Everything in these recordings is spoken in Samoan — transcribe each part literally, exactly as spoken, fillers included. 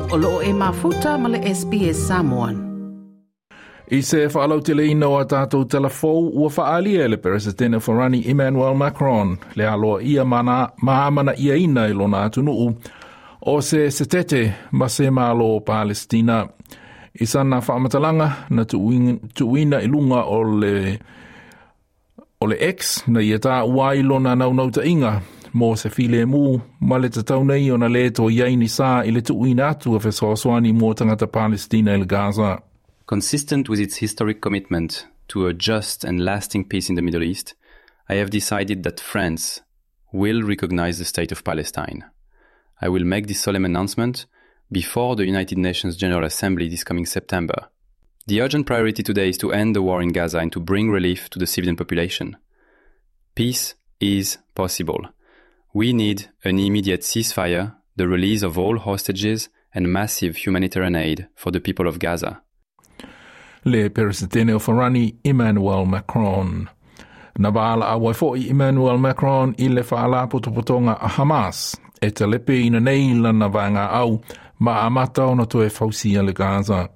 O loo e mafuta ma le S B S Samoan. I se whaalauteleina o a tātou telefou ua whaalia e le Peresetene Farani Emmanuel Macron le aloa ia mana, maamana ia ina i lona atunuu o se setete ma se malo Palestina. I sana whaamatalanga na tuuina i lunga o le, o le X na ia tā uai lona naunauta inga mo se file mu ma le tatau nei o na le to iai ni sa i le tuuina atu a fesoasoani mo tangata Palestina i le Gaza. Consistent with its historic commitment to a just and lasting peace in the Middle East, I have decided that France will recognize the state of Palestine. I will make this solemn announcement before the United Nations General Assembly this coming September. The urgent priority today is to end the war in Gaza and to bring relief to the civilian population. Peace is possible. We need an immediate ceasefire, the release of all hostages, and massive humanitarian aid for the people of Gaza. Le Peresetene o Farani Emmanuel Macron. Na waala a waifoi Emmanuel Macron i le whaalapotopotonga a Hamas e te lepe ina nei lana vaenga au ma amata ona toe fausia le Gaza.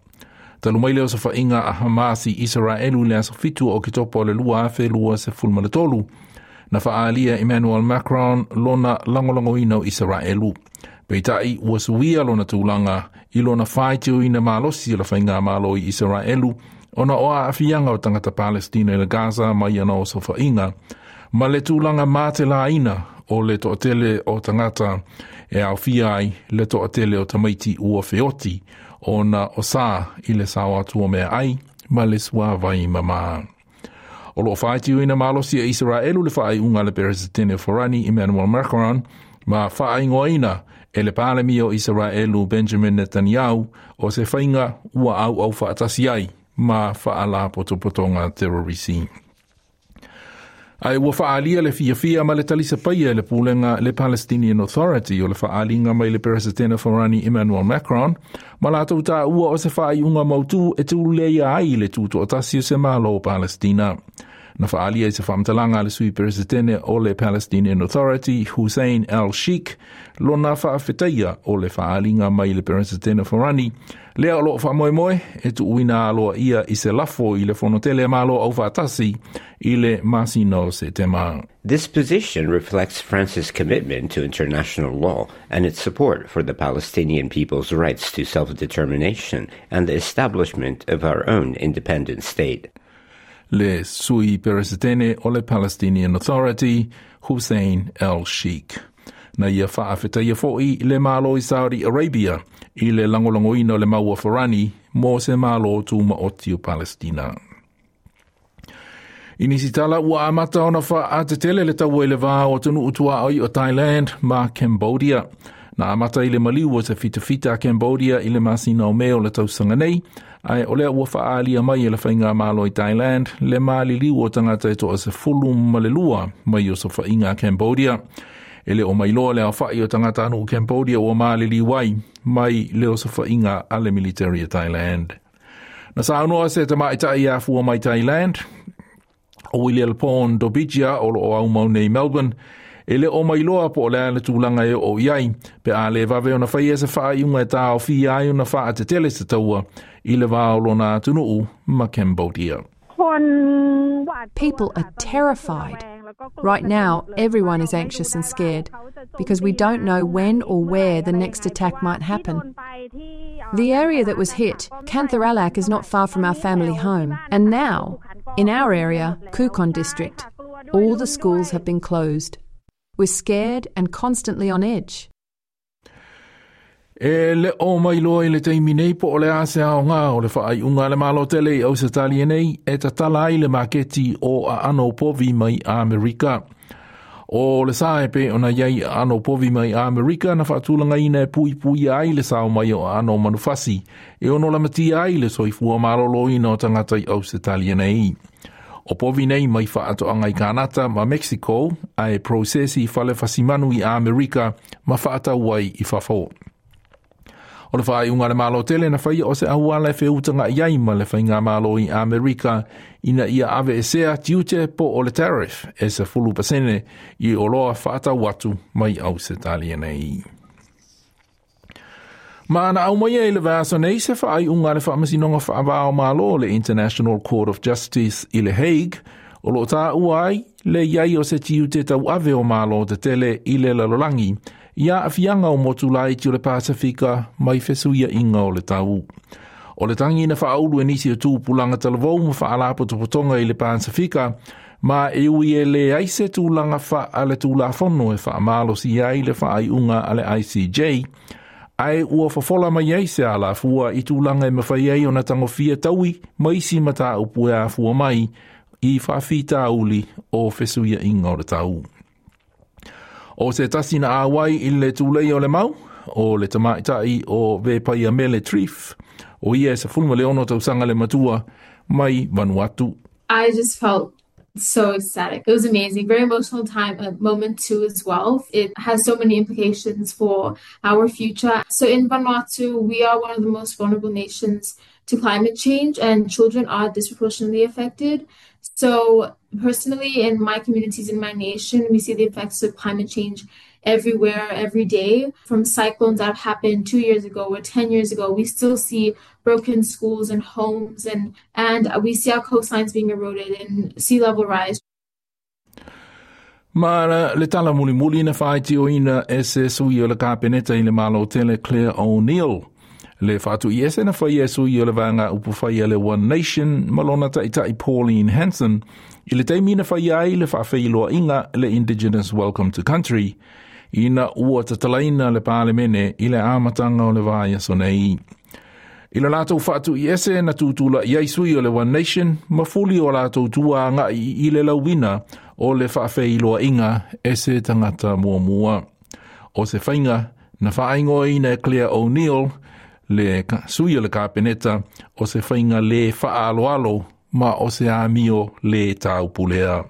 Talu mai leo sa whainga a Hamas i Israelu le aso fitu o kitopo le lua afe lua se fulma le tolu. Na whaalia Emmanuel Macron lona langolongoina o Israelu. Peitai ua suia lona tūlanga i lona whaitio ina malosi o la whainga malo i Israelu ona o a afianga o tangata Palestina i le Gaza mai ana o sofa'inga ma le tūlanga mā te laina o le to'atele o tangata e aufia ai le to'atele o tamaiti ua feoti ona o sā i le sao atu o mea ai ma le suavai mamā. O loo whaitio ina malosi e Israelu le whaaiunga le Peresetene Farani Emmanuel Macron ma whaaingoaina e le palemi o Israelu Benjamin Netanyahu o se whainga ua au au whaatasi ai ma whaala potopotonga terrorisi. Ai ua whaalia le fiafia ma le talisa paia le pulenga le Palestinian Authority o le whaalinga mai le Peresetene Farani Emmanuel Macron ma lātou tā ua o se whaaiunga mautu e tūleia ai le tūtoatasi o se malo Palestina. Na whaalia i se whaamatalanga le sui Peresetene o le Palestinian Authority Hussein al-Sheikh lona whaafetaia o le whaalinga mai le Peresetene Farani lea o loo whaamoemoe e tuuina aloa ia i se lafo i le fonotele malo au whaatasi i le masina o se tema. This position reflects France's commitment to international law and its support for the Palestinian people's rights to self-determination and the establishment of our own independent state. Le sui Peresetene o le Palestinian Authority, Hussein el-Sheikh. Na ia whaafetaia foi le malo i Saudi Arabia i le langolongoina o le maua Farani mo se malo tūma oti o Palestina. I nisi tala ua amata ona whaatetele le taua i le vā o tunu utua oi o Thailand ma Cambodia. Na amata i le maliu o se fitafita a Cambodia i le masina o meo le tausanga nei, ai o lea ua whaalia mai e le whainga malo i Thailand, le maliliu o tangata e toa se fulu ma le lua mai o se whainga a Cambodia. E le o mailoa le awhai o tangata anu o Cambodia ua maliliu ai mai le o se whainga a le military a Thailand. Na saunoa se tamaitai a fua mai Thailand, o William Pon Dobijia o lo o au mau nei Melbourne, e le o mailoa po o lea le tūlanga e o iai, pe a le vave ona whaia se whaaiunga e tā o fia ai ona wha a te tele se taua i le vā o lona atunuu ma Cambodia. People are terrified. Right now, everyone is anxious and scared because we don't know when or where the next attack might happen. The area that was hit, Kantharalak, is not far from our family home. And now, in our area, Khukon district, all the schools have been closed. We're scared and constantly on edge. E le o mai loa i le taimi nei po o le ase ao ngā o le whaaiunga le malo tele i Ausitalia nei e tatala ai le maketi o a ano povi mai Amerika. O le sae pe ona iai a ano povi mai Amerika na whaatulanga ina e pui pui ai le sao mai o ano manufasi e ono lamatia ai le soifua malolo ina o tangata i Ausitalia nei. O povi nei mai whaatoanga i Kanata ma Mexico a e prosesi whale fasimanu i Amerika ma whaatau ai i whawhao. O le whaaiunga le malo tele na whaia o se auala e wheutanga i ai ma le whainga malo i Amerika ina ia ave e sea tiute po o le tariff e se fulu pasene i oloa whaatau atu mai Ausitalia nei. Ma na au mai i le vaiaso nei se faaiuga a le faamasinoga faava-o-Malo le International Court of Justice i le Hague, o lo o taua ai le iai o se tiute tauave o Malo tetele i le lalolagi, i aafiaga o motu laiti o le Pasifika mai fesuiaiga o le tau. O le tagi na faaulu e nisi o tupulaga talavou ma faalapotopotoga i le Pasifika, ma e ui e leai se tulaga faaletulafono e faamalosia ai le faaiuga a le I C J, ae ua fofola mai ai se alafua i tulaga e mafai ai ona tagofia taui ma isi mataupu e afua mai i faafitauli o fesuiaiga o le tau. O se tasi na auai i le tulei o le mau, o le tamaitai o Vepaiamele Trief, o ia e sefulu ma le ono tausaga le matua mai Vanuatu. I just felt so ecstatic. It was amazing. Very emotional time, a moment too as well. It has so many implications for our future. So in Vanuatu, we are one of the most vulnerable nations to climate change, and children are disproportionately affected. So personally, in my communities, in my nation, we see the effects of climate change everywhere, every day. From cyclones that have happened two years ago or ten years ago, we still see broken schools and homes, and, and we see our coastlines being eroded and sea level rise. Ma le tala mulimuli na faaitioina e se sui o le kapeneta i le Malo tele Clare O'Neill le faatuiese na faia e sui o le vaega upufai a le One Nation ma lona taitai Pauline Hanson i le taimi na faia ai le faafeiloaiga le Indigenous Welcome to Country ina ua tatalaina le palemene i le amataga o le vaiaso nei. I le latou faatuiese na tutula'i ai sui o le One Nation ma fuli o latou tua aga'i i le lauina o le faafeiloaiga e se tagata muamua. O se faiga na faaigoaina e Clare O'Neill le sui o le kapeneta o se faiga le faaaloalo ma o se amio le taupulea.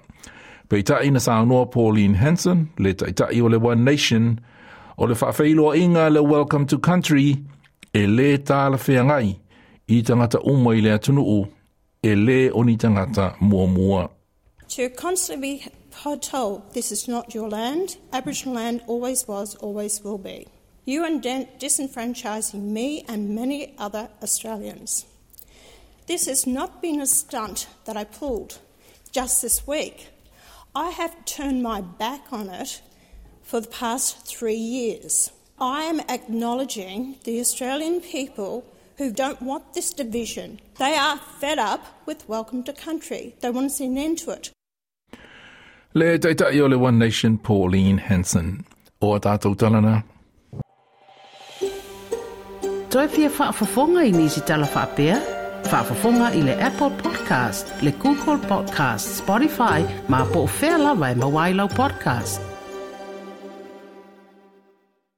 Peitai na saunoa Pauline Hanson, le taitai o le One Nation, o le faafeiloaiga le Welcome to Country e le talafeagai i tagata uma i le atunuu e le o ni tagata muamua. To constantly be told this is not your land, Aboriginal land always was, always will be. You are disenfranchising me and many other Australians. This has not been a stunt that I pulled just this week. I have turned my back on it for the past three years. I am acknowledging the Australian people who don't want this division. They are fed up with Welcome to Country. They want to see an end to it. Le taitai o le One Nation Pauline Hanson. O a tātou talana. Toe fia faafofoga i nisi tala faapea? Faafofoga i le Apple Podcast, le Google Podcast, Spotify, ma po o fea lava e maua ai lau podcast.